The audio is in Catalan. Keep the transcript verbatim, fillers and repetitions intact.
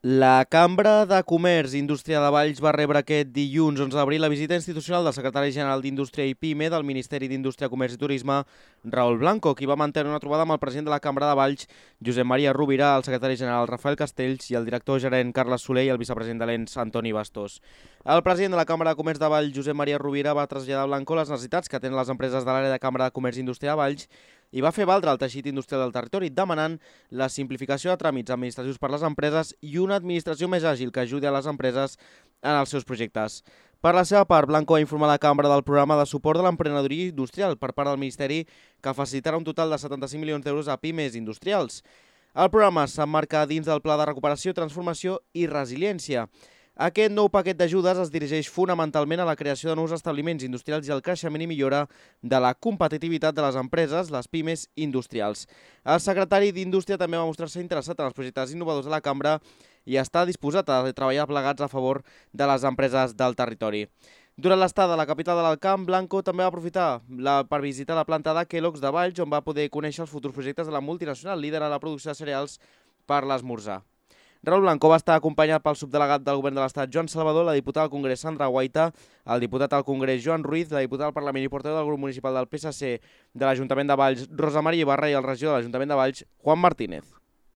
La Cambra de Comerç i Indústria de Valls va rebre aquest dilluns onze d'abril la visita institucional del secretari general d'Indústria i PIME del Ministeri d'Indústria, Comerç i Turisme, Raül Blanco, qui va mantenir una trobada amb el president de la Cambra de Valls, Josep Maria Rovira, el secretari general Rafael Castells i el director gerent Carles Soler i el vicepresident de l'E N S Antoni Bastos. El president de la Cambra de Comerç de Valls, Josep Maria Rovira, va traslladar a Blanco les necessitats que tenen les empreses de l'àrea de Cambra de Comerç i Indústria de Valls i va fer valdre el teixit industrial del territori, demanant la simplificació de tràmits administratius per les empreses i una administració més àgil que ajudi a les empreses en els seus projectes. Per la seva part, Blanco va informar la Cambra del programa de suport de l'emprenedoria industrial per part del Ministeri, que facilitarà un total de setanta-cinc milions d'euros a pimes industrials. El programa s'emmarca dins del Pla de Recuperació, Transformació i Resiliència. Aquest nou paquet d'ajudes es dirigeix fonamentalment a la creació de nous establiments industrials i al creixement i millora de la competitivitat de les empreses, les pimes industrials. El secretari d'Indústria també va mostrar-se interessat en els projectes innovadors de la Cambra i està disposat a treballar plegats a favor de les empreses del territori. Durant l'estada a la capital de l'Alt Camp, Blanco també va aprofitar la, per visitar la planta de Kellogg's de Valls, on va poder conèixer els futurs projectes de la multinacional líder a la producció de cereals per l'esmorzar. Raül Blanco va estar acompanyat pel subdelegat del govern de l'Estat, Joan Salvador, la diputada al Congrés, Sandra Guaita, el diputat al Congrés, Joan Ruiz, la diputada al Parlament i portaveu del grup municipal del P S C de l'Ajuntament de Valls, Rosa Maria Ibarra, i el regidor de l'Ajuntament de Valls, Juan Martínez.